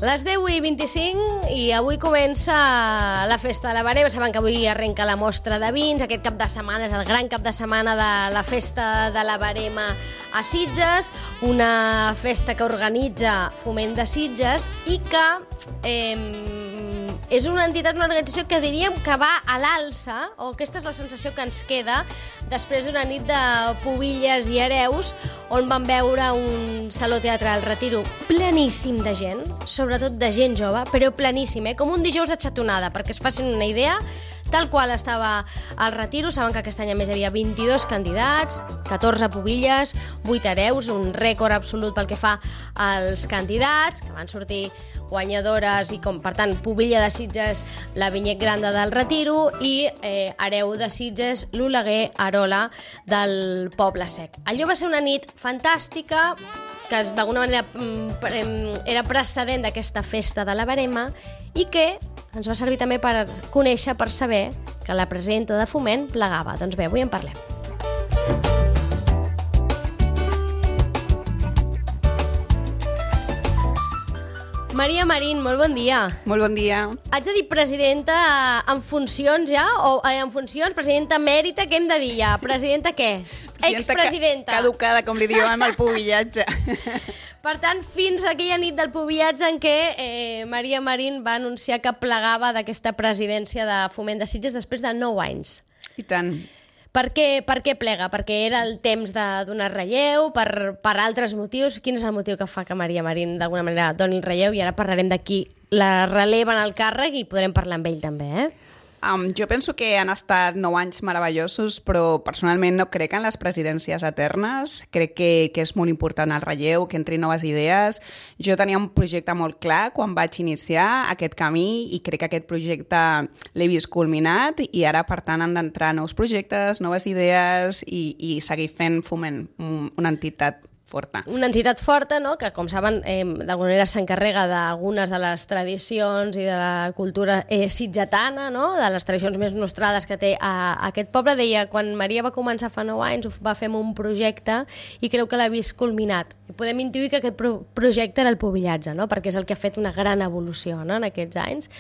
Les 10:25 i avui comença la festa de la Verema. Saben que avui arrenca la mostra de vins. Aquest cap de setmana és el gran cap de setmana de la festa de la Verema a Sitges, una festa que organitza Foment de Sitges i que és una entitat, una organització que diríem que va a l'alça, o aquesta és la sensació que ens queda després d'una nit de pubilles i hereus on vam veure un saló teatral Retiro pleníssim de gent, sobretot de gent jove, però pleníssim, com un dijous de xatonada, perquè es facin una idea, tal qual estava al Retiro. Saben que aquest any a més hi havia 22 candidats, 14 pubilles, 8 hereus, un rècord absolut pel que fa als candidats, que van sortir guanyadores i, com per tant, pubilla de Sitges, la Vinyet Granda del Retiro, i hereu de Sitges, l'Oleguer Arola del Poble Sec. Allò va ser una nit fantàstica, que d'alguna manera era precedent d'aquesta festa de la Verema i que ens va servir també per conèixer, per saber que la presidenta de Foment plegava. Doncs bé, avui en parlem. Maria Marín, molt bon dia. Molt bon dia. Haig de dir presidenta en funcions ja? O en funcions, presidenta emèrita, què hem de dir ja? Presidenta què? Expresidenta. Caducada, com li diuen al pubillatge. Per tant, fins a aquella nit del pubillatge en què Maria Marín va anunciar que plegava d'aquesta presidència de Foment de Sitges després de 9 anys. I tant. Per què plega? Perquè era el temps de donar relleu, per altres motius? Quin és el motiu que fa que Maria Marín d'alguna manera doni el relleu? I ara parlarem de qui la releva en el càrrec i podrem parlar amb ell també, Jo penso que han estat 9 anys meravellosos, però personalment no crec en les presidències eternes. Crec que és molt important el relleu, que entrin noves idees. Jo tenia un projecte molt clar quan vaig iniciar aquest camí i crec que aquest projecte l'he vist culminat i ara, per tant, han d'entrar nous projectes, noves idees i seguir fent Foment una entitat forta. Una entitat forta, no?, que, com saben, d'alguna manera s'encarrega d'algunes de les tradicions i de la cultura sitgetana, no?, de les tradicions més nostrades que té aquest poble. Deia, quan Maria va començar fa 9 anys, ho va fer amb un projecte i creu que l'ha vist culminat. I podem intuir que aquest projecte era el pubillatge, no?, perquè és el que ha fet una gran evolució, no?, en aquests anys.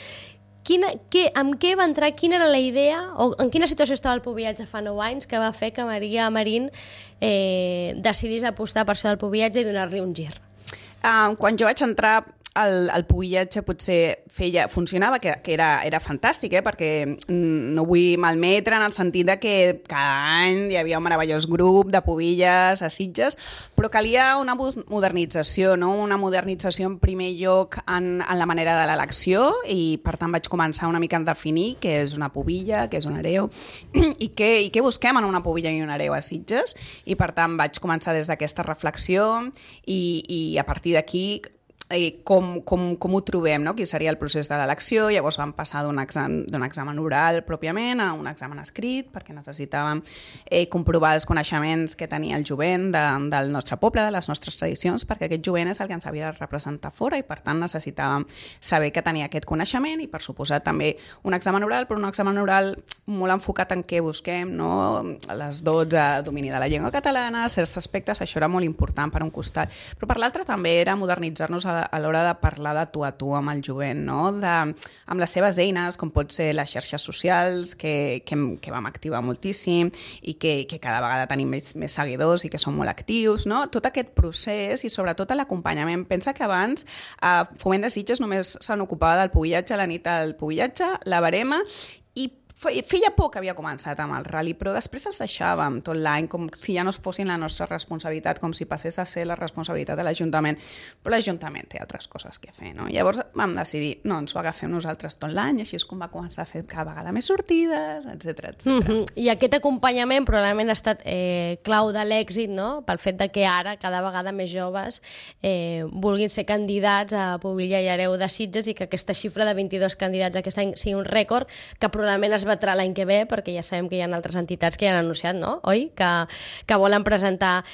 Amb què va entrar, quina era la idea, o en quina situació estava el pubillatge fa 9 anys que va fer que Maria Marín decidís apostar per això del pubillatge i donar-li un gir? Quan jo vaig entrar, el pubillatge potser funcionava, que era fantàstic, perquè no vull malmetre en el sentit de que cada any hi havia un meravellós grup de pubilles a Sitges, però calia una modernització, no? Una modernització en primer lloc en la manera de l'elecció, i per tant vaig començar una mica a definir què és una pubilla, què és un hereu i què busquem en una pubilla i un hereu a Sitges, i per tant vaig començar des d'aquesta reflexió i a partir d'aquí com ho trobem, no? Quin seria el procés de l'elecció. Llavors vam passar d'un examen oral pròpiament a un examen escrit, perquè necessitàvem comprovar els coneixements que tenia el jovent del nostre poble, de les nostres tradicions, perquè aquest jovent és el que ens havia de representar fora i per tant necessitàvem saber que tenia aquest coneixement, i per suposat també un examen oral, però un examen oral molt enfocat en què busquem, no? Les 12, domini de la llengua catalana, certs aspectes, això era molt important per un costat, però per l'altre també era modernitzar-nos a l'hora de parlar de tu a tu amb el jovent, no? Amb les seves eines, com pot ser les xarxes socials, que vam activar moltíssim i que cada vegada tenim més seguidors i que són molt actius, no? Tot aquest procés i sobretot l'acompanyament. Pensa que abans Foment de Sitges només se n'ocupava del pubillatge, la nit del pubillatge, la Verema, i feia poc que havia començat amb el rally, però després els deixàvem tot l'any com si ja no fossin la nostra responsabilitat, com si passés a ser la responsabilitat de l'Ajuntament, però l'Ajuntament té altres coses que fer, no? Llavors vam decidir, no, ens ho agafem nosaltres tot l'any, i així és com va començar a fer cada vegada més sortides, etc. I aquest acompanyament probablement ha estat clau de l'èxit, no?, pel fet de que ara cada vegada més joves vulguin ser candidats a pubilla i hereu de Sitges, i que aquesta xifra de 22 candidats aquest any sigui un rècord que probablement es batrà l'any que ve, perquè ja sabem que hi ha altres entitats que ja han anunciat, no? Oi? Que volen presentar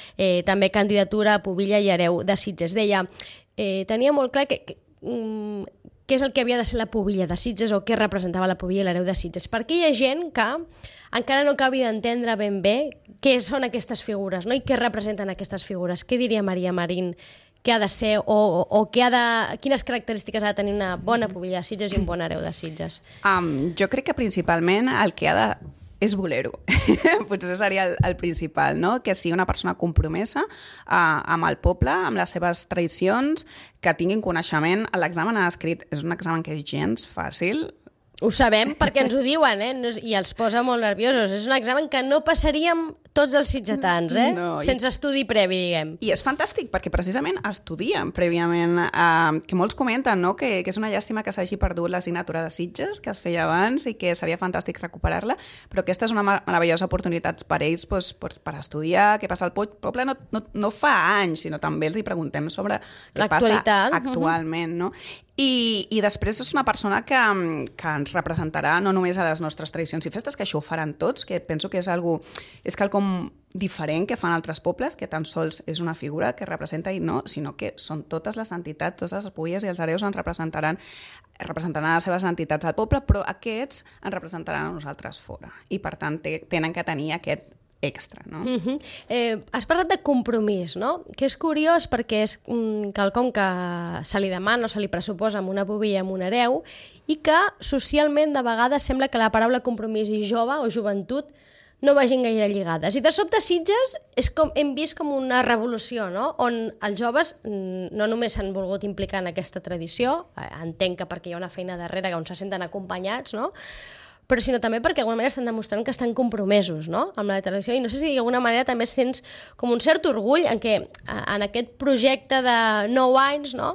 també candidatura a Pubilla i Hereu de Sitges. Deia, tenia molt clar què és el que havia de ser la Pubilla de Sitges o què representava la Pubilla i l'Hereu de Sitges. Perquè hi ha gent que encara no acabi d'entendre ben bé què són aquestes figures, no? I què representen aquestes figures. Què diria Maria Marín que ha de ser o quines característiques ha de tenir una bona Pubilla de Sitges i un bon Hereu de Sitges? Jo crec que principalment el que ha de és voler-ho. Potser seria el principal, no? Que sigui una persona compromesa amb el poble, amb les seves tradicions, que tinguin coneixement. L'examen escrit és un examen que és gens fàcil. Ho sabem perquè ens ho diuen, i els posa molt nerviosos. És un examen que no passaríem tots els sitgetans, sense estudi previ, diguem. I és fantàstic perquè precisament estudien prèviament, que molts comenten, no? que és una llàstima que s'hagi perdut l'assignatura de Sitges, que es feia abans i que seria fantàstic recuperar-la, però aquesta és una meravellosa oportunitat per ells per estudiar què passa al poble, no fa anys, sinó també els hi preguntem sobre què passa actualment, no? I després és una persona que ens representarà no només a les nostres tradicions i festes, que això ho faran tots, que penso que és quelcom diferent que fan altres pobles, que tan sols és una figura que representa i no, sinó que són totes les entitats, totes les Pubilles i els Hereus ens representaran les seves entitats al poble, però aquests ens representaran a nosaltres fora. I per tant tenen que tenir aquest extra, no? Has parlat de compromís, no? Que és curiós perquè és quelcom que se li demana o se li pressuposa amb una pubilla i amb un hereu i que socialment de vegades sembla que la paraula compromís i jove o joventut no vagin gaire lligades. I de sobte Sitges hem vist com una revolució, no? On els joves no només s'han volgut implicar en aquesta tradició, entenc que perquè hi ha una feina darrere on se senten acompanyats, no? Però sinó també perquè d'alguna manera estan demostrant que estan compromesos, no? Amb la tradició, i no sé si d'alguna manera també sents com un cert orgull en què en aquest projecte de 9 anys, no?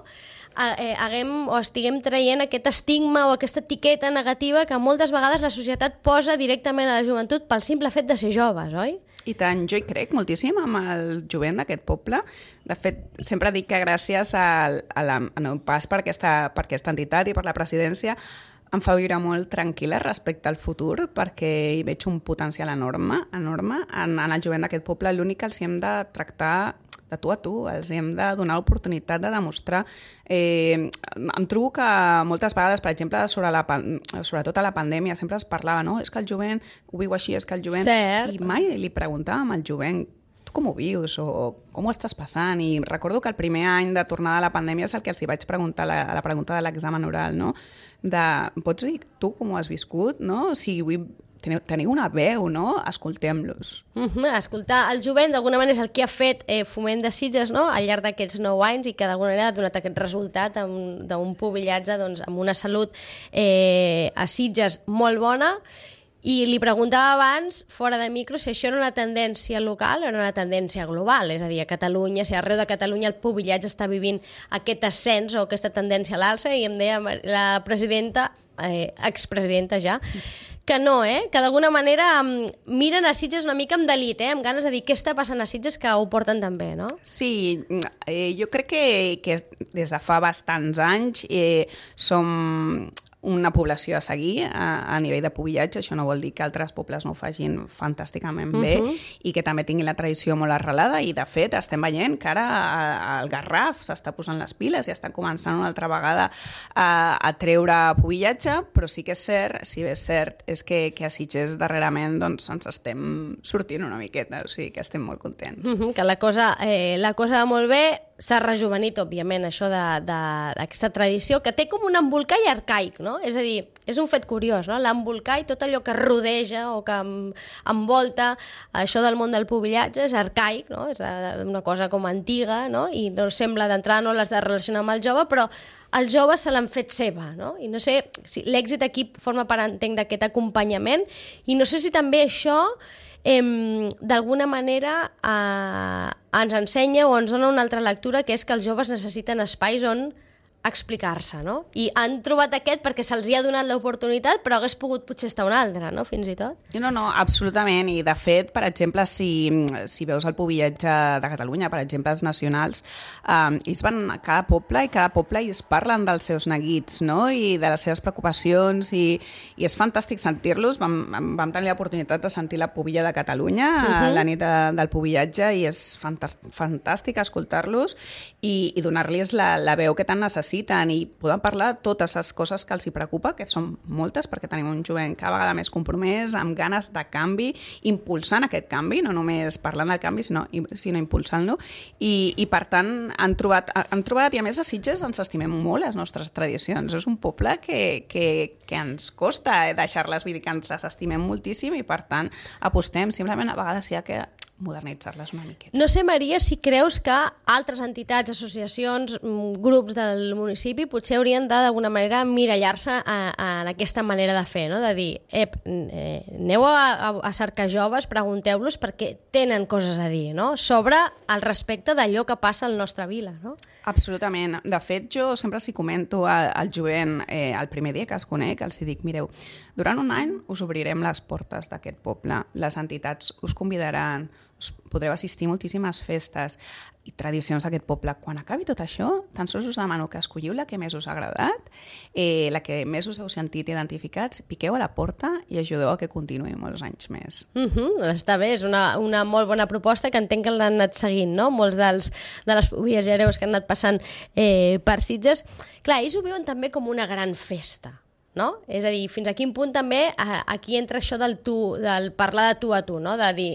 Estiguem traient aquest estigma o aquesta etiqueta negativa que moltes vegades la societat posa directament a la joventut pel simple fet de ser joves, oi? I tant, jo hi crec moltíssim amb el jovent d'aquest poble. De fet, sempre dic que gràcies al meu pas per aquesta entitat i per la presidència em fa viure molt tranquil·la respecte al futur perquè hi veig un potencial enorme en el jovent d'aquest poble. L'únic que els hem de tractar de tu a tu, els hem de donar l'oportunitat de demostrar. Em trobo que moltes vegades, per exemple, sobretot a la pandèmia, sempre es parlava, no? És que el jovent ho viu així, és que el jovent... Cert. I mai li preguntàvem al jovent tu com ho vius o com ho estàs passant? I recordo que el primer any de tornada a la pandèmia és el que els hi vaig preguntar a la pregunta de l'examen oral, no? Pots dir tu com ho has viscut, no? O sigui, teniu una veu, no? Escoltem-los. Escoltar el jovent d'alguna manera és el que ha fet Foment de Sitges, no? Al llarg d'aquests 9 anys i que d'alguna manera ha donat aquest resultat d'un pubillatge amb una salut a Sitges molt bona. I li preguntava abans, fora de micro, si això era una tendència local o era una tendència global, és a dir, a Catalunya, si arreu de Catalunya el pubillatge està vivint aquest ascens o aquesta tendència a l'alça, i em deia la presidenta, expresidenta ja, que no, que d'alguna manera miren a Sitges una mica amb delit, amb ganes de dir què està passant a Sitges, que ho porten també, no? Sí, jo crec que des de fa bastants anys som una població a seguir a nivell de pubillatge. Això no vol dir que altres pobles no ho facin fantàsticament bé i que també tinguin la tradició molt arrelada, i de fet estem veient que ara el Garraf s'està posant les piles i està començant una altra vegada a treure pubillatge, però sí que és cert, si bé és cert, és que a Sitges darrerament doncs, ens estem sortint una miqueta, o sigui que estem molt contents. Que la cosa va molt bé, s'ha rejuvenit, òbviament, això d'aquesta tradició, que té com un embolcall arcaic, no? És a dir, és un fet curiós, no? L'embolcall, tot allò que rodeja o que envolta això del món del pubillatge és arcaic, no? És una cosa com antiga, no? I no sembla d'entrada, no l'has de relacionar amb el jove, però els joves se l'han fet seva, no? I no sé si l'èxit aquí forma part, entenc, d'aquest acompanyament, i no sé si també això d'alguna manera ens ensenya o ens dona una altra lectura, que és que els joves necessiten espais on explicar-se, no? I han trobat aquest perquè se'ls hi ha donat l'oportunitat, però hagués pogut potser estar un altre, no?, fins i tot. No, absolutament. I, de fet, per exemple, si veus el pubillatge de Catalunya, per exemple, els nacionals, ells van a cada poble i es parlen dels seus neguits, no?, i de les seves preocupacions, i és fantàstic sentir-los. Vam tenir l'oportunitat de sentir la pubilla de Catalunya la nit del pubillatge, i és fantàstic escoltar-los i donar-los la veu que tant necessiten, i poden parlar de totes les coses que els hi preocupa, que són moltes, perquè tenim un jovent cada vegada més compromès, amb ganes de canvi, impulsant aquest canvi, no només parlant del canvi, sinó impulsant-lo, i per tant han trobat, i a més a Sitges ens estimem molt les nostres tradicions. És un poble que ens costa deixar-les, vull dir que ens les estimem moltíssim, i per tant apostem, simplement a vegades hi ha que modernitzar-les una miqueta. No sé, Maria, si creus que altres entitats, associacions, grups del municipi potser haurien d'alguna manera mirallar-se en aquesta manera de fer, no? De dir, aneu a cercar joves, pregunteu-los perquè tenen coses a dir, no?, sobre el respecte d'allò que passa al nostre vila, no? Absolutament. De fet, jo sempre s'hi comento al jovent el primer dia que els conec, els dic, mireu, durant un any us obrirem les portes d'aquest poble, les entitats us convidaran, us podreu assistir a moltíssimes festes i tradicions d'aquest poble. Quan acabi tot això, tan sols us demano que escolliu la que més us ha agradat, la que més us heu sentit identificats, piqueu a la porta i ajudeu a que continuï molts anys més. Està bé, és una molt bona proposta que entenc que l'han anat seguint, no?, molts de les pubilles i hereus que han anat passant per Sitges. Clar, ells ho viuen també com una gran festa, no? És a dir, fins a quin punt també aquí entra això del parlar de tu a tu, no?, de dir,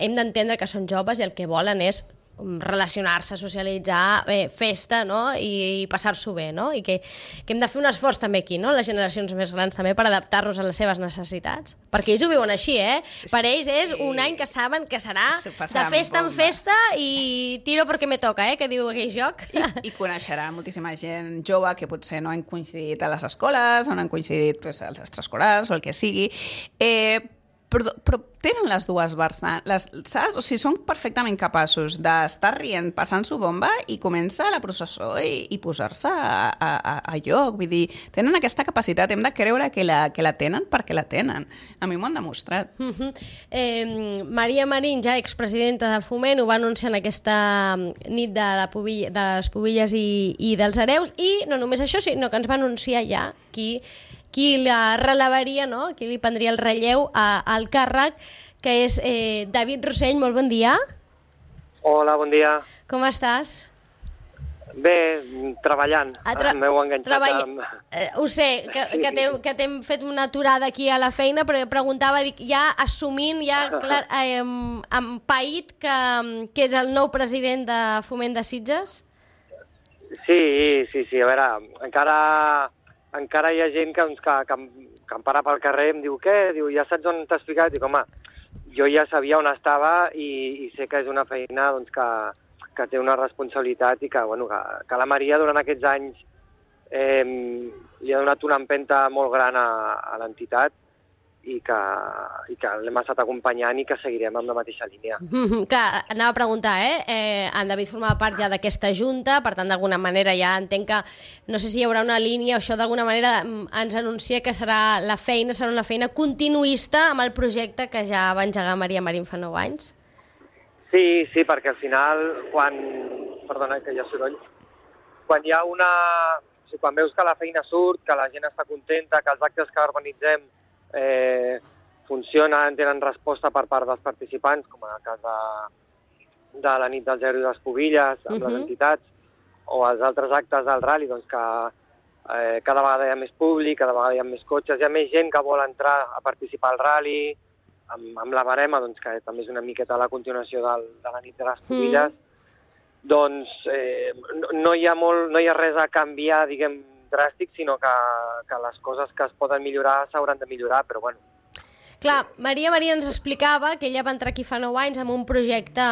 hem d'entendre que són joves i el que volen és relacionar-se, socialitzar, festa, no?, i passar-s'ho bé, no?, i que hem de fer un esforç també aquí, no?, les generacions més grans també, per adaptar-nos a les seves necessitats, perquè ells ho viuen així, per ells és un any que saben que serà de festa en festa i tiro perquè me toca, que diu aquell joc. I coneixerà moltíssima gent jove que potser no han coincidit a les escoles, o no han coincidit als extraescolars o el que sigui, però tenen les dues vessants, saps? O sigui, són perfectament capaços d'estar rient, passant-s'ho bomba, i comença la processó i posar-se a lloc. Vull dir, tenen aquesta capacitat, hem de creure que la tenen perquè la tenen. A mi m'ho han demostrat. Maria Marín, ja expresidenta de Foment, ho va anunciar en aquesta nit de les pubilles i dels hereus, i no només això, sinó que ens va anunciar ja qui la relevaria, no?, qui li prendria el relleu al càrrec, que és David Rossell. Molt bon dia. Hola, bon dia. Com estàs? Bé, treballant. M'heu enganxat. Ho sé, que t'hem fet una aturada aquí a la feina, però preguntava, ja assumint, ja empaït que és el nou president de Foment de Sitges? Sí. A veure, encara hi ha gent que em para pel carrer i em diu, què? Diu, ja saps on t'has ficat? Dic, home, jo ja sabia on estava i sé que és una feina doncs, que té una responsabilitat i que la Maria durant aquests anys li ha donat una empenta molt gran a l'entitat i que l'hem estat acompanyant i que seguirem amb la mateixa línia. Clar, anava a preguntar, en David formava part ja d'aquesta junta, per tant, d'alguna manera ja entenc que, no sé si hi haurà una línia, això d'alguna manera ens anuncia que serà una feina continuista amb el projecte que ja va engegar Maria Marín fa 9 anys. Sí, perquè al final, perdona, que hi ha soroll, quan veus que la feina surt, que la gent està contenta, que els actes que organitzem funcionen, tenen resposta per part dels participants, com en el cas de la nit dels hereus i les pubilles, amb les entitats, o els altres actes del rally, doncs que cada vegada hi ha més públic, cada vegada hi ha més cotxes, hi ha més gent que vol entrar a participar al rally, amb la barema, doncs, que també és una miqueta la continuació de la nit de les pubilles, doncs no hi ha res a canviar, diguem, dràstic, sinó que les coses que es poden millorar s'hauran de millorar, però bueno. Clar, Maria ens explicava que ella va entrar aquí fa 9 anys amb un projecte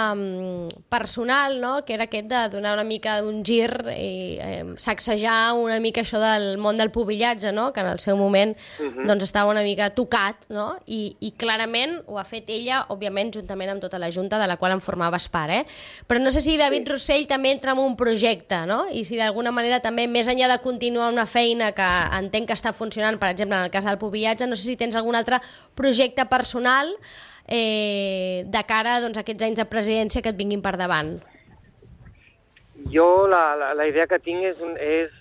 personal, no?, que era aquest de donar una mica un gir i sacsejar una mica això del món del pubillatge, no?, que en el seu moment doncs estava una mica tocat, no?, i clarament ho ha fet ella, òbviament, juntament amb tota la Junta, de la qual en formaves part, Però no sé si David Rossell també entra en un projecte, no?, i si d'alguna manera també, més enllà de continuar una feina que entenc que està funcionant, per exemple, en el cas del pubillatge, no sé si tens algun altre projecte personal de cara doncs, a aquests anys de presidència que et vinguin per davant. Jo la idea que tinc és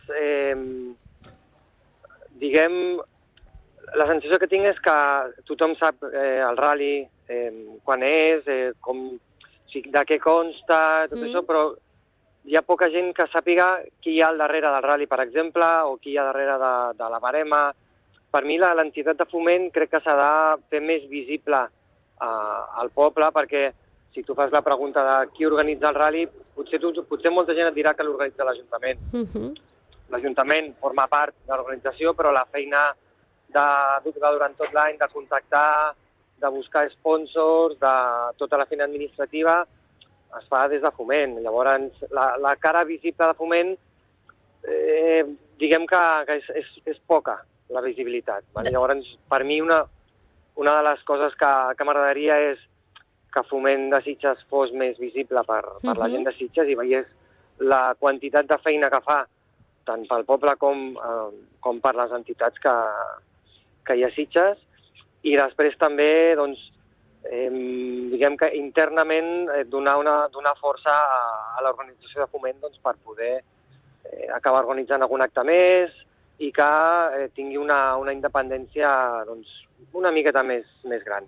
diguem, la sensació que tinc és que tothom sap el rally, quan és, de què consta, tot això, però hi ha poca gent que sàpiga qui hi ha al darrere del rally, per exemple, o qui hi ha darrere de la barema. Per mi l'entitat de foment crec que s'ha de fer més visible al poble, perquè si tu fas la pregunta de qui organitza el rally, potser molta gent et dirà que l'organitza l'Ajuntament. L'Ajuntament forma part de l'organització, però la feina durant tot l'any de contactar, de buscar sponsors, de tota la feina administrativa, es fa des de foment. Llavors, la cara visible de foment, diguem que és poca, la visibilitat. Llavors, per mi, una de les coses que m'agradaria és que Foment de Sitges fos més visible per la gent de Sitges i veiés la quantitat de feina que fa, tant pel poble com per les entitats que hi ha a Sitges. I després també, doncs, diguem que internament donar força a l'organització de Foment per poder acabar organitzant algun acte més, i que tingui una independència una miqueta més gran.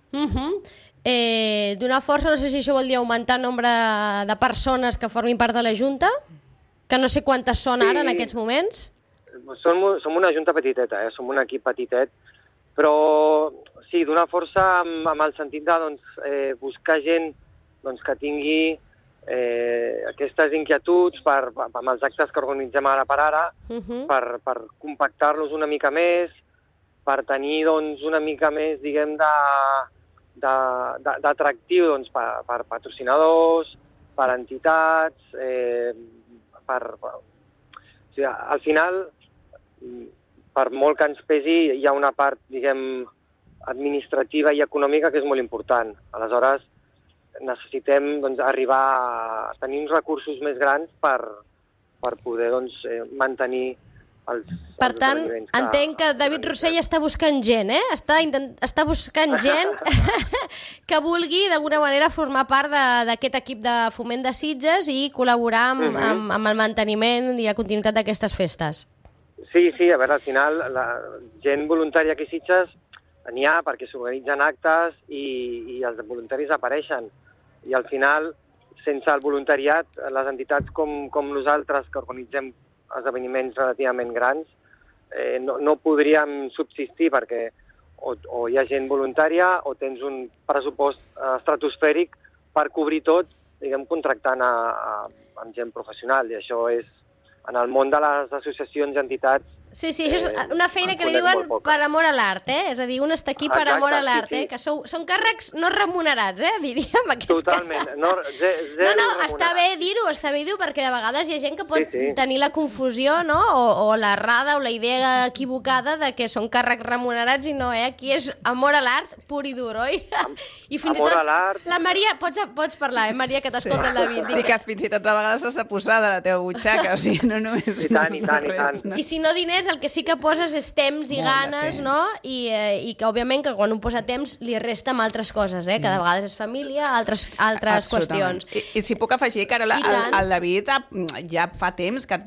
Donar força, no sé si això vol dir augmentar el nombre de persones que formin part de la Junta, que no sé quantes són ara en aquests moments. Som una Junta petiteta, som un equip petitet, però sí, donar força amb el sentit de buscar gent que tingui aquestes inquietuds amb els actes que organitzem ara per ara, per compactar-los una mica més, per tenir una mica més, diguem, d'atractiu per patrocinadors, per entitats, al final, per molt que ens pesi, hi ha una part, diguem, administrativa i econòmica que és molt important. Aleshores, necessitem arribar a tenir uns recursos més grans per poder mantenir els Per tant, entenc que David Rossell està buscant gent, Està buscant gent que vulgui d'alguna manera formar part d'aquest equip de Foment de Sitges i col·laborar amb el manteniment i la continuïtat d'aquestes festes. Sí, a veure, al final, la gent voluntària aquí a Sitges n'hi ha perquè s'organitzen actes i els voluntaris apareixen. I al final, sense el voluntariat, les entitats com nosaltres que organitzem esdeveniments relativament grans no podríem subsistir perquè o hi ha gent voluntària o tens un pressupost estratosfèric per cobrir tot, diguem, contractant amb gent professional. I això és, en el món de les associacions i entitats, Sí, això és una feina que li diuen per amor a l'art, És a dir, un està aquí per amor a l'art, que són càrrecs no remunerats, diríem, aquests Totalment, càrrecs. No, està bé dir-ho, perquè de vegades hi ha gent que pot tenir la confusió, no?, o l'errada o la idea equivocada de que són càrrecs remunerats i no, Aquí és amor a l'art pur i dur, oi? I fins i tot, la Maria, pots parlar, Maria, que t'escolta el David. Dic que fins i tot de vegades has de posar de la teva butxaca, o sigui, no només... I tant. I si no diners, el que sí que poses és temps i ganes, no? I que, òbviament, que quan un posa temps li resta amb altres coses, que de vegades és família, altres qüestions. I si puc afegir, Carola, el David ja fa temps que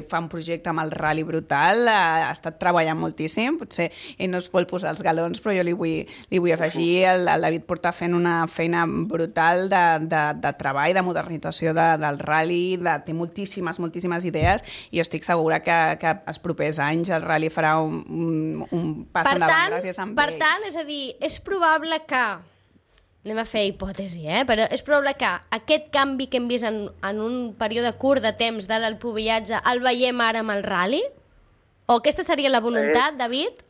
fa un projecte amb el Rally Brutal, ha estat treballant moltíssim, potser ell no es vol posar els galons, però jo li vull afegir, el David porta fent una feina brutal de treball, de modernització del rally, té moltíssimes idees, i jo estic segura que els propers anys el rally farà un pas endavant gràcies a ell. Per tant, és a dir, és probable que, anem a fer hipòtesi, però és probable que aquest canvi que hem vist en un període curt de temps del pubillatge el veiem ara amb el rally? O aquesta seria la voluntat, David?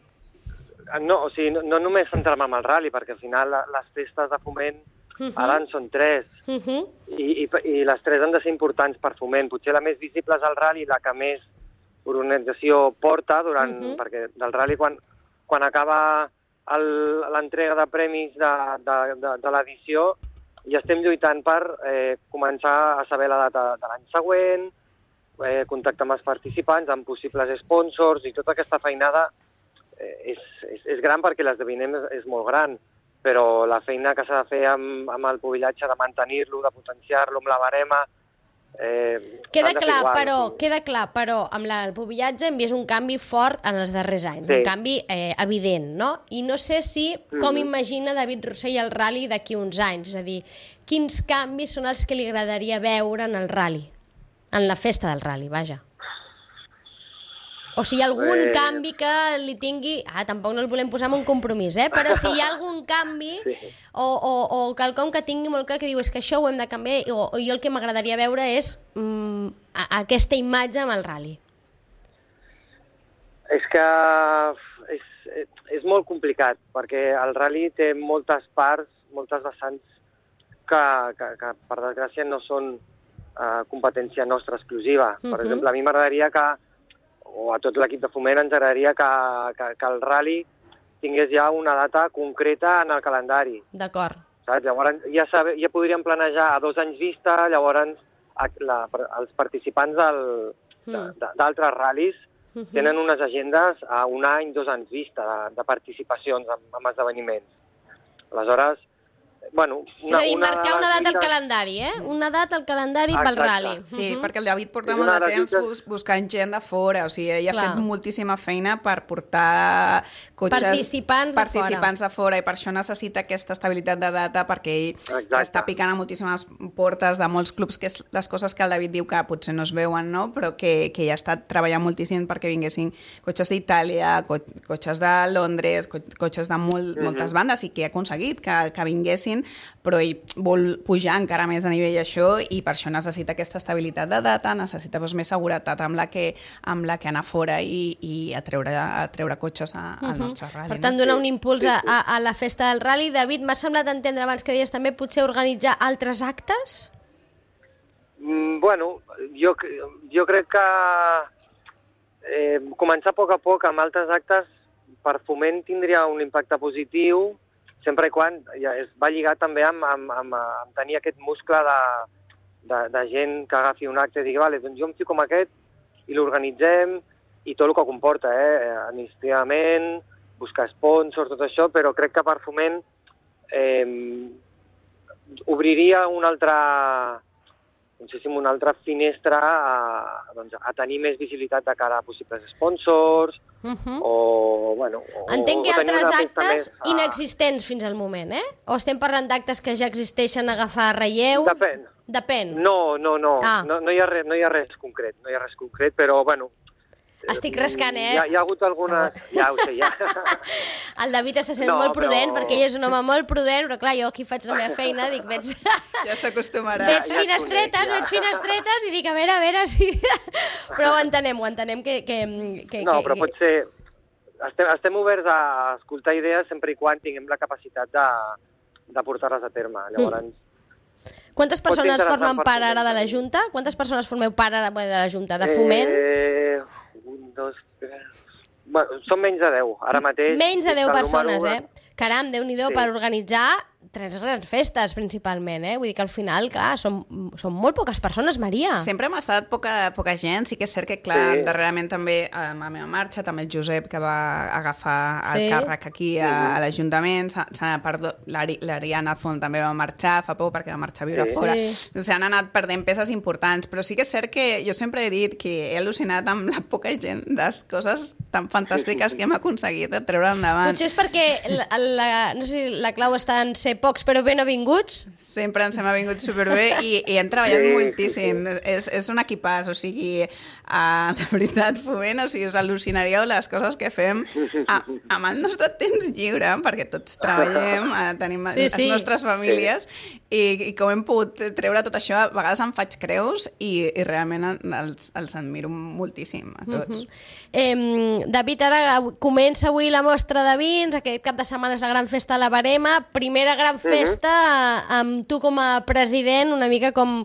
No, o sigui, no només centrar-me en el rally, perquè al final les festes de Foment ara en són 3, i les 3 han de ser importants per Foment. Potser la més visible és el rally, la que més organització porta, perquè del rally, quan acaba l'entrega de premis de l'edició, ja estem lluitant per començar a saber la data de l'any següent, contactar amb els participants, amb possibles sponsors, i tota aquesta feinada és gran perquè l'esdeveniment és molt gran, però la feina que s'ha de fer amb el pubillatge, de mantenir-lo, de potenciar-lo, amb la barema... Queda clar, però amb el pubillatge hem vist un canvi fort en els darrers anys, un canvi evident, no? I no sé com imagina David Rossell el rally d'aquí uns anys, és a dir, quins canvis són els que li agradaria veure en el rally, en la festa del rally, vaja. O si hi ha algun canvi que li tingui... tampoc no el volem posar en un compromís, però si hi ha algun canvi o quelcom que tingui molt clar que diu és que això ho hem de canviar, o jo el que m'agradaria veure és aquesta imatge amb el rally. És que és molt complicat, perquè el rally té moltes parts, moltes vessants que per desgràcia no són competència nostra exclusiva. Per exemple, a mi m'agradaria o a tot l'equip de Foment ens agradaria que el rally tingués ja una data concreta en el calendari. D'acord. Saps? Llavors ja podríem planejar a 2 anys vista, llavors els participants d'altres ral·lis tenen unes agendes a 1 any, 2 anys vista de participacions en esdeveniments. Aleshores, bueno... És a dir, marcar una data al calendari, Una data al calendari pel rally. Sí, perquè el David porta molt de temps buscant gent de fora, o sigui, ell ha fet moltíssima feina per portar cotxes... Participants de fora, i per això necessita aquesta estabilitat de data, perquè ell està picant a moltíssimes portes de molts clubs, que és les coses que el David diu que potser no es veuen, no? Però que ja està treballant moltíssim perquè vinguessin cotxes d'Itàlia, cotxes de Londres, cotxes de moltes bandes, i que ha aconseguit que vinguessin, però ell vol pujar encara més a nivell això, i per això necessita aquesta estabilitat de data, necessita més seguretat amb la que anar fora i a treure cotxes al nostre rally. Per tant, donar un impuls a la festa del rally. David, m'ha semblat entendre abans que deies també potser organitzar altres actes? Bueno, jo crec que començar a poc amb altres actes per Foment tindria un impacte positiu, sempre i quan va lligat també amb tenir aquest muscle de gent que agafi un acte i digui, vale, doncs jo em fico amb aquest i l'organitzem, i tot el que comporta, administrativament, buscar sponsors, tot això, però crec que per Foment obriria una altra finestra a tenir més visibilitat de cara a possibles sponsors, o, bueno... Entenc que altres actes inexistents fins al moment, O estem parlant d'actes que ja existeixen a agafar relleu? Depèn. No hi ha res concret, però, bueno... Estic rascant, Hi ha hagut alguna... Ja ho sé, ja. El David està sent molt prudent, perquè ell és un home molt prudent, però clar, jo aquí faig la meva feina, dic, ja s'acostumarà. Veig finestretes i dic, a veure si... Però ho entenem que... No, però potser... Estem oberts a escoltar idees sempre i quan tinguem la capacitat de portar-les a terme. Llavors... Quantes persones formen part ara de la Junta? Quantes persones formeu part ara de la Junta? De Foment? 1, 2, 3... Bueno, són menys de 10, ara mateix. Menys de 10 persones, Caram, Déu-n'hi-do, per organitzar 3 grans festes, principalment, Vull dir que al final, clar, són molt poques persones, Maria. Sempre hem estat poca gent, sí que és cert que, clar, darrerament també a la meva marxa, també el Josep, que va agafar el càrrec aquí a l'Ajuntament, l'Ariana Font també va marxar fa poc perquè va marxar a viure fora. S'han anat perdent peces importants, però sí que és cert que jo sempre he dit que he al·lucinat amb la poca gent de coses tan fantàstiques que hem aconseguit de treure endavant. Potser és perquè no sé si la clau està en ser ser pocs però ben avinguts. Sempre ens hem avingut superbé i hem treballat moltíssim. És un equipàs, o sigui, de veritat, Foment, o sigui, us al·lucinaríeu les coses que fem amb el nostre temps lliure, perquè tots treballem, tenim les nostres famílies, i com hem pogut treure tot això, a vegades em faig creus i realment els admiro moltíssim a tots. David, ara comença avui la mostra de vins, aquest cap de setmana és la gran festa de la Verema, primera gran festa amb tu com a president, una mica com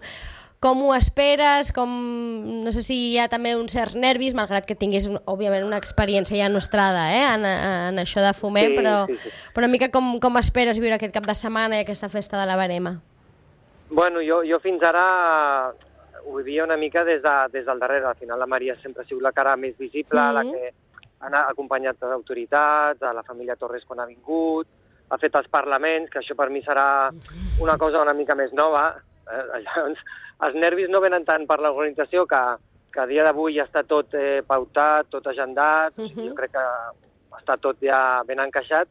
ho esperes, no sé si hi ha també uns certs nervis, malgrat que tinguis, òbviament, una experiència ja nostrada en això de Foment, però una mica com esperes viure aquest cap de setmana i aquesta festa de la Verema? Bueno, jo fins ara ho vivia una mica des del darrere. Al final la Maria sempre ha sigut la cara més visible, la que ha acompanyat les autoritats, a la família Torres quan ha vingut, ha fet els parlaments, que això per mi serà una cosa una mica més nova. Llavors, els nervis no venen tant per l'organització, que a dia d'avui ja està tot pautat, tot agendat, jo crec que està tot ja ben encaixat,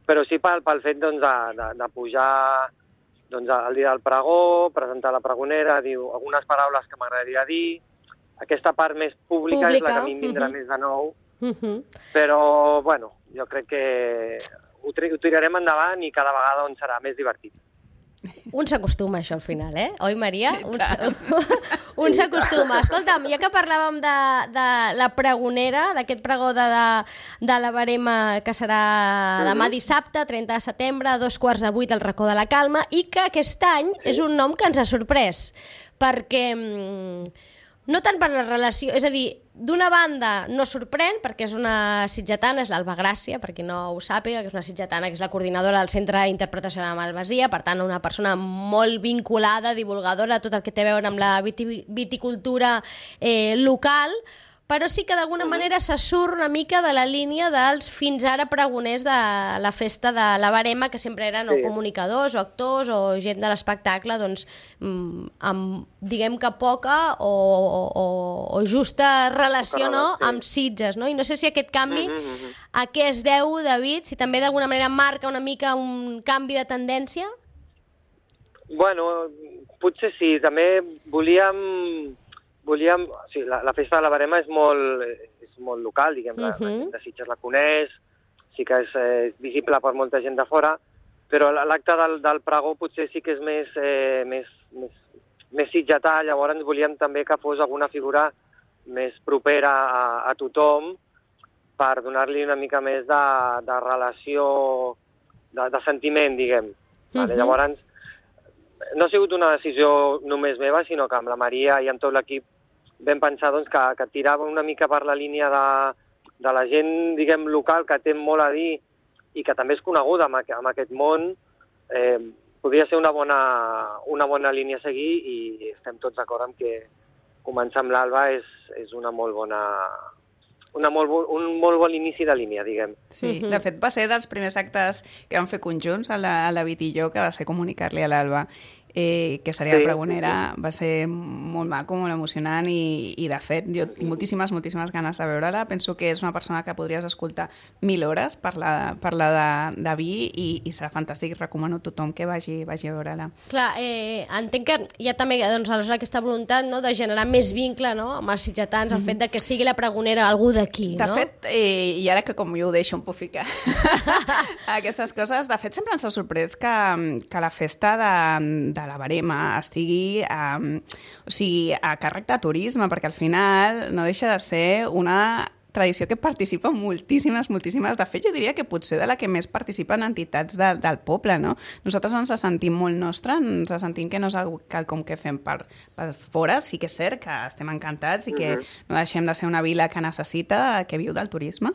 però sí pel fet de pujar el dia del pregó, presentar la pregonera, diu algunes paraules que m'agradaria dir. Aquesta part més pública és la que a mi em vindrà més de nou, però bueno, jo crec que ho tirarem endavant i cada vegada serà més divertit. Un s'acostuma, això, al final, Oi, Maria? Un s'acostuma. Escolta'm, ja que parlàvem de la pregonera, d'aquest pregó de la Verema, que serà demà dissabte, 30 de setembre, a 7:15 al Racó de la Calma, i que aquest any és un nom que ens ha sorprès, perquè no tant per la relació, és a dir, d'una banda no sorprèn, perquè és una sitgetana, és l'Alba Gràcia, per qui no ho sàpiga, que és una sitgetana, que és la coordinadora del Centre d'Interpretació de la Malvasia, per tant, una persona molt vinculada, divulgadora, tot el que té a veure amb la viticultura local, però sí que d'alguna manera se surt una mica de la línia dels fins ara pregoners de la festa de la Verema, que sempre eren o comunicadors o actors o gent de l'espectacle, doncs, amb, diguem que poca o justa relació amb Sitges, no? I no sé si aquest canvi a què es deu, David, si també d'alguna manera marca una mica un canvi de tendència? Bueno, potser sí, també volíem... la festa de la Verema és molt local, diguem, la gent de Sitges la coneix, sí que és visible per molta gent de fora, però l'acte del pregó potser sí que és més sitgetà, llavors volíem també que fos alguna figura més propera a tothom per donar-li una mica més de relació, de sentiment, diguem. Llavors, no ha sigut una decisió només meva, sinó que amb la Maria i amb tot l'equip vam pensar que tirava una mica per la línia de la gent, diguem, local, que té molt a dir i que també és coneguda en aquest món. Podria ser una bona línia a seguir i estem tots d'acord amb que començar amb l'Alba és un molt bon inici de línia, diguem. Sí, de fet va ser dels primers actes que vam fer conjunts a la David i jo, que va ser comunicar-li a l'Alba que seria la pregonera. Va ser molt maco, molt emocionant i de fet jo tinc moltíssimes ganes de veure-la. Penso que és una persona que podries escoltar 1000 hores parlar de vi i serà fantàstic. Recomano a tothom que vagi a veure-la. Clar, entenc que hi ha també aleshores aquesta voluntat de generar més vincle amb els sitgetans, el fet de que sigui la pregonera algú d'aquí. De fet, i ara que com jo ho deixo, em puc ficar aquestes coses, de fet sempre ens ha sorprès que la festa de la Verema estigui a càrrec de turisme, perquè al final no deixa de ser una tradició que participa moltíssimes. De fet, jo diria que potser de la que més participen entitats del poble, no? Nosaltres ens sentim molt nostra, ens sentim que no és quelcom que fem per fora. Sí que és cert que estem encantats i que no deixem de ser una vila que necessita, que viu del turisme,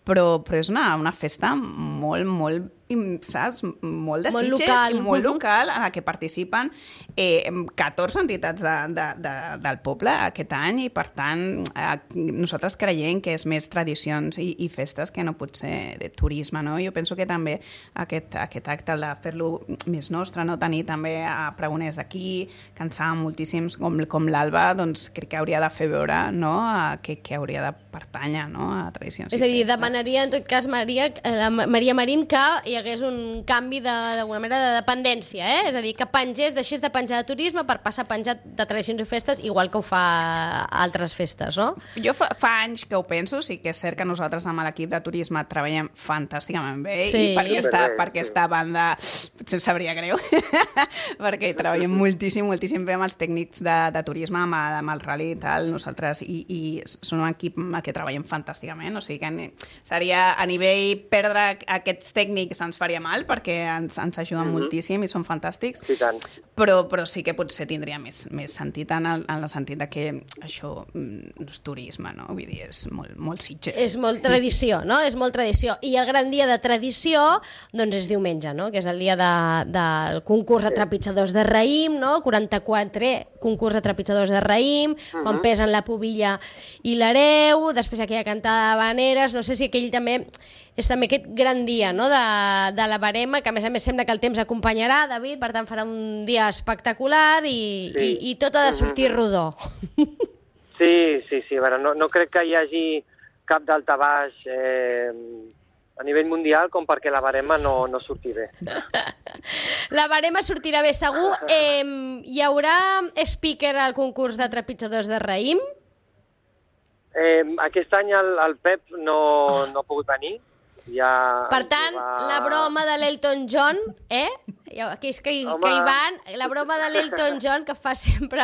però és una festa molt saps? Molt de Sitges i molt local, en la que participen 14 entitats del poble aquest any, i per tant nosaltres creiem que és més tradicions i festes que no pot ser de turisme, no? Jo penso que també aquest acte de fer-lo més nostre, no? Tenir també pregoners d'aquí, que ens saben moltíssims, com l'Alba, doncs crec que hauria de fer veure, no? que hauria de pertànyer, no? A tradicions. És a dir, demanaria en tot cas, Maria Marín, que hi hagués un canvi d'alguna manera de dependència, És a dir, que deixés de penjar de turisme per passar a penjar de tradicions i festes, igual que ho fa altres festes, no? Jo fa anys que ho penso, sí que és cert que nosaltres amb l'equip de turisme treballem fantàsticament bé i per aquesta banda potser em sabria greu, perquè hi treballem moltíssim bé amb els tècnics de turisme, amb el rally i tal, nosaltres, i són un equip amb el que treballem fantàsticament, o sigui que seria a nivell perdre aquests tècnics ens faria mal perquè ens ajuden moltíssim i són fantàstics, però sí que potser tindria més sentit en el sentit de que això no és turisme, no? Vull dir, és molt Sitges. És molt tradició, no? És molt tradició. I el gran dia de tradició, doncs és diumenge, no? Que és el dia del concurs de trepitjadors de raïm, no? 44 concurs de trepitjadors de raïm, quan pesen la pubilla i l'hereu, després aquella cantada d'habaneres, no sé si aquell també és també aquest gran dia, no?, de la barema, que a més sembla que el temps acompanyarà, David, per tant farà un dia espectacular i tot ha de sortir rodó. Sí, a veure, no crec que hi hagi cap daltabaix a nivell mundial com perquè la barema no surti bé. La barema sortirà bé segur. Hi haurà speaker al concurs de trepitjadors de raïm? Aquest any el Pep no ha pogut venir. Per tant, la broma de l'Elton John, aquells que hi van, la broma de l'Elton John que fa sempre...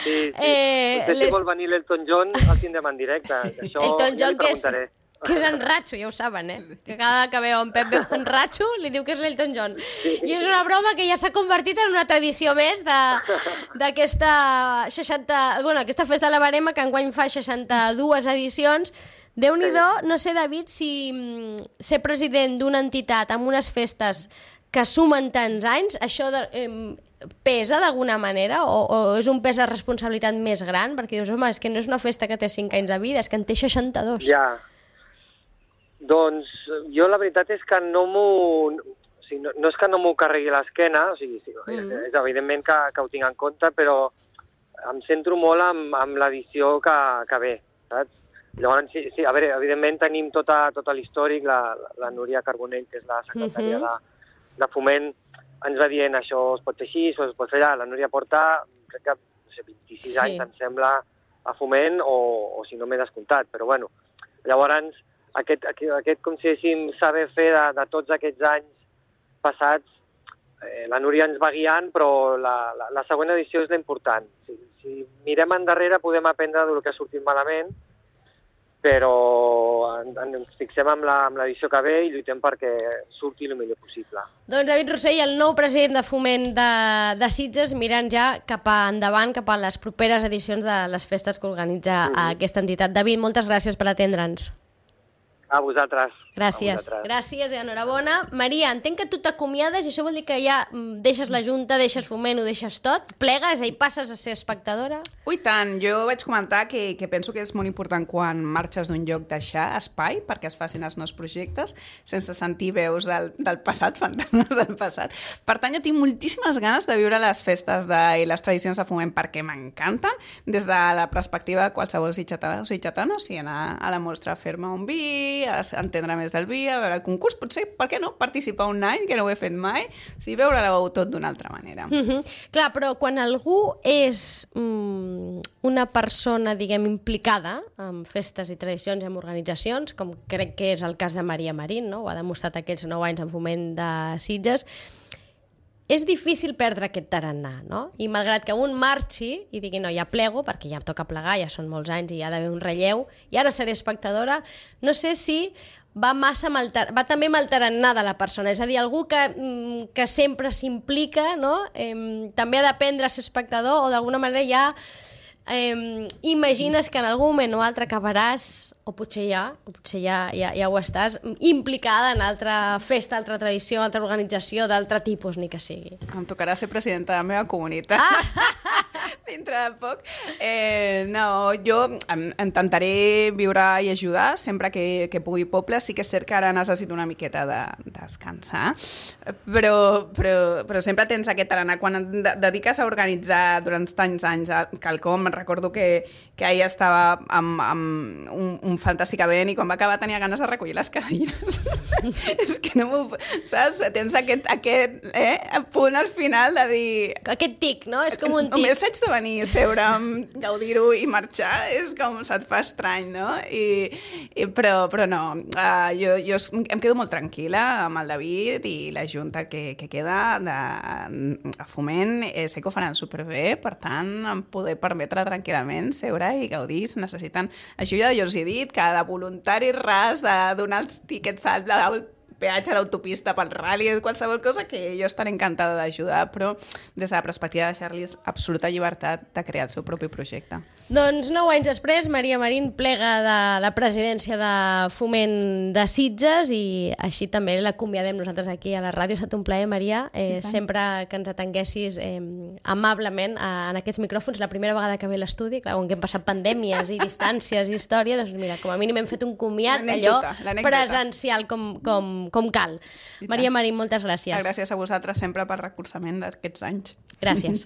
Sí. Si vol venir l'Elton John, el tindrem en directe. Elton John, que és en Ratxo, ja ho saben, que cada que veu en Pep veu en Ratxo, li diu que és l'Elton John. I és una broma que ja s'ha convertit en una tradició més d'aquesta aquesta festa de la barema, que enguany fa 62 edicions. Déu-n'hi-do, no sé, David, si ser president d'una entitat amb unes festes que sumen tants anys, això pesa d'alguna manera o és un pes de responsabilitat més gran? Perquè dius, home, és que no és una festa que té 5 anys de vida, és que en té 62. Ja. Doncs jo la veritat és que no és que no m'ho carregui l'esquena, o sigui, és evidentment que ho tinc en compte, però em centro molt amb l'edició que ve, saps? Llavors, sí, a veure, evidentment tenim tot l'històric, la Núria Carbonell, que és la secretària de Foment, ens va dient això es pot fer així, això es pot fer allà. La Núria porta, crec que 26 anys, em sembla, a Foment, o si no m'he descomptat, però bueno. Llavors, aquest com si diguéssim, saber fer de tots aquests anys passats, la Núria ens va guiant, però la següent edició és l'important. Si mirem endarrere podem aprendre del que ha sortit malament, però ens fixem amb l'edició que ve i lluitem perquè surti el millor possible. Doncs David Rossell, el nou president de Foment de Sitges, mirant ja cap endavant, cap a les properes edicions de les festes que organitza aquesta entitat. David, moltes gràcies per atendre'ns. A vosaltres. Gràcies. Gràcies i enhorabona. Maria, entenc que tu t'acomiades i això vol dir que ja deixes la Junta, deixes Foment, ho deixes tot, plegues i passes a ser espectadora? Ui, tant. Jo vaig comentar que penso que és molt important quan marxes d'un lloc deixar espai perquè es facin els nous projectes sense sentir veus del passat, fantasmes del passat. Per tant, jo tinc moltíssimes ganes de viure les festes i les tradicions de Foment perquè m'encanten des de la perspectiva de qualsevol sitgetana o sitgetana, o sigui, anar a la mostra a fer-me un vi, a entendre més del vi, a veure el concurs, potser, per què no, participar un any, que no ho he fet mai, o sigui, veure-ho tot d'una altra manera. Clar, però quan algú és una persona, diguem, implicada en festes i tradicions i en organitzacions, com crec que és el cas de Maria Marín, no? Ho ha demostrat aquests 9 anys en Foment de Sitges, és difícil perdre aquest tarannà, no? I malgrat que un marxi i digui, no, ja plego, perquè ja em toca plegar, ja són molts anys i hi ha d'haver un relleu, i ara seré espectadora, no sé si va també amb el tarannà de la persona, és a dir, algú que sempre s'implica, no? També ha d'aprendre a ser espectador o d'alguna manera ja imagines que en algun moment o altre acabaràs, o potser ja ho estàs, implicada en altra festa, altra tradició, altra organització, d'altre tipus, ni que sigui. Em tocarà ser presidenta de la meva comunitat. dintre de poc. No, jo intentaré viure i ajudar sempre que pugui poble. Sí que és cert que ara necessito una miqueta de descansar, però sempre tens aquest tarannà. Quan et dediques a organitzar durant tants anys quelcom, recordo que ahir estava amb un fantàstic event i quan va acabar tenia ganes de recollir les cadires. És que no m'ho... Saps? Tens aquest punt al final de dir... Aquest tic, no? És com un tic. Només haig de venir, seure, gaudir-ho i marxar, és com se't fa estrany, no? Però no, jo em quedo molt tranquil·la amb el David i la junta que queda a Foment. Sé que ho faran superbé, per tant, em poder permetre tranquil·lament seure i gaudir. Si necessiten ajuda, jo els he dit que de voluntari ras de donar els tíquets del peatge a l'autopista pel rally, qualsevol cosa que jo estaré encantada d'ajudar, però des de la perspectiva de deixar-los absoluta llibertat de crear el seu propi projecte. Doncs 9 anys després, Maria Marín plega de la presidència de Foment de Sitges i així també l'acomiadem nosaltres aquí a la ràdio. Ha estat un plaer, Maria, sempre que ens atenguessis amablement en aquests micròfons. La primera vegada que ve a l'estudi, clar, on hem passat pandèmies i distàncies i història, doncs mira, com a mínim hem fet un comiat allò presencial com cal. Maria Marín, moltes gràcies. Gràcies a vosaltres sempre per recolzament d'aquests anys. Gràcies.